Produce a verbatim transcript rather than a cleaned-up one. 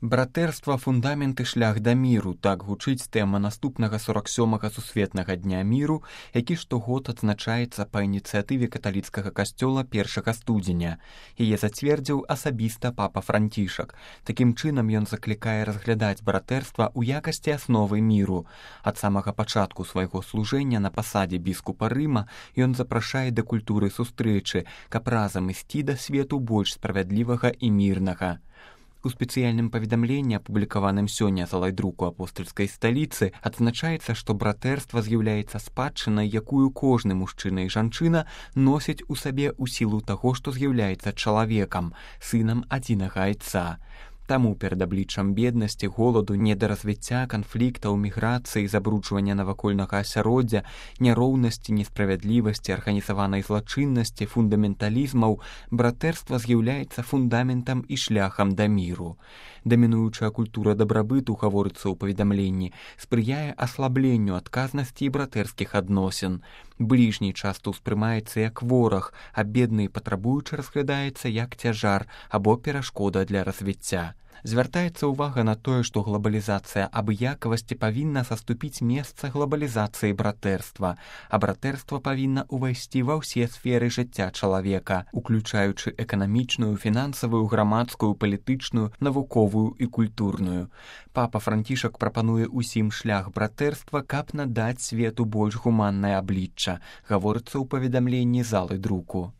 Братэрства фундамент і шлях да міру, так гучыць тэма наступнага сорок сёмага сусветнага дня міру, які штогод адзначаецца па ініцыятыве каталіцкага касцёла першага студзеня. Яе зацвердзіў асабіста папа Францішак. Такім чынам ён заклікае разглядаць братэрства ў якасці асновы міру. Ад самага пачатку свайго служэння на пасадзе біскупа Рыма ён запрашае да культуры сустрэчы, каб разам ісці да свету больш справядлівага і мірнага. У спецыяльным паведамленні, апублікаваным сёння залай друку апостальскай сталіцы, адзначаецца, што братэрства з'яўляецца спадчынай, якую кожны мужчына і жанчына носіць у сабе ў сілу таго, што з'яўляецца чалавекам, сынам адзінага айца. Таму перад абліччам беднасці, голаду, недаразвіцця, канфліктаў, міграцыі, забруджвання навакольнага асяроддзя, няроўнасці, несправядлівасці, арганізаванай злачыннасці, фундаменталізмаў, братэрства з'яўляецца фундаментам і шляхам да міру. Дамінуючая культура дабрабыту, гаворыцца ў паведамленні, спрыяе аслабленню адказнасці і братэрскіх адносін. Бліжні часта ўспрымаецца як вораг, а бедны і патрабуючы разглядаецца як цяжар або перашкода для развіцця. Звяртаецца ўвага на тое, што глабалізацыя абыякавасці павінна саступіць месца глабалізацыі братэрства, а братэрства павінна ўвайсці ва ўсе сферы жыцця чалавека, уключаючы эканамічную, фінансавую, грамадскую, палітычную, навуковую і культурную. Папа Францішак прапануе ўсім шлях братэрства, каб надаць свету больш гуманнае аблічча, гаворыцца ў паведамленні залы друку.